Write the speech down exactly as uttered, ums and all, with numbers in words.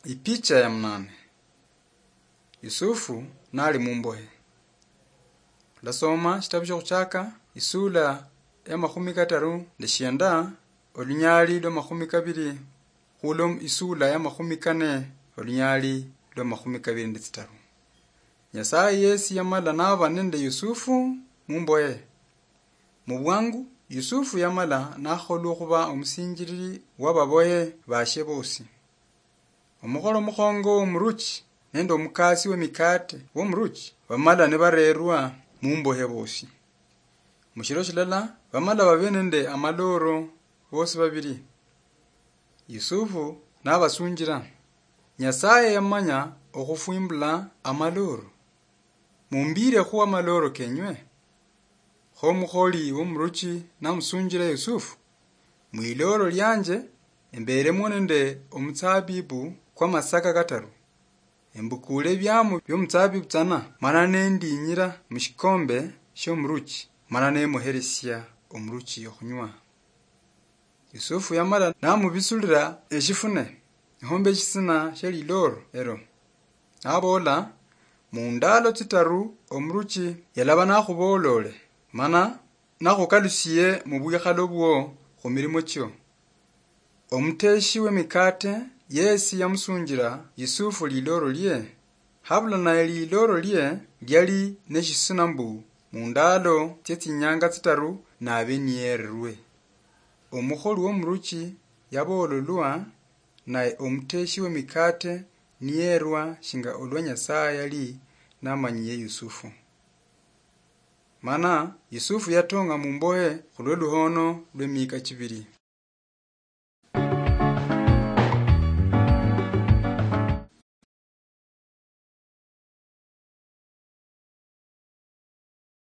Ipicha ya munane. Yusufu nali mumbohe. Ndasoma shitabu shiokuchaka, isula ya makhumi kataru nde shienda, olunyali lwa makhumi kabiri, khulo isula ya makhumi kane, olunyali lwa makhumi kabiri nde tsitaru. Nyasaye yesi yamala naba nende Yusufu mumbohe. Mubwangu, Yusufu yamala nakholwa okhuba omusinjilili wa babohe bashe bosi. Omukholo mukhongo womuruchi nende omukasi wemikate womuruchi bamala nibarerwa mumbohe bosi. Mushiro shilala, bamala babe nende amaloro bosi babiri. Yusufu nabasunjila, Nyasaye yamanya okhufwimbula amaloro. Mumbirekhu amaloro kenywe. Kho omukholi womuruchi namusunjila Yusufu, Mwiloro lianje emberemwo nende omutsabibu kwamasaka kataru. Embukule ebiamo biomutsabibu tsana, mana nendinyira mushikombe shiomuruchi, mana nemuheresia omuruchi okhunywa. Yusufu yamala namubisulila eshifune, nihomba eshisina shia liloro elo. Naboola, Mundalo tsitaru omuruchi yalaba nakhuboolole, mana nakhukalusie mubwikhalo bwo khumilimo chio. Omuteshi wemikate yesi yamusunjila Yusufu liloro lie, habula naye liloro lie liali neshisina mbu mundalo tsie tsinyanga tsitaru nabe niyererwe. Omukholi womuruchi yaboololwa, naye omuteshi wemikate niyerwa shinga olwa Nyasaye yali namanyiye Yusufu. Mana Yusufu yatong'a mumbohe khulwe luhono lwemiika chibiri.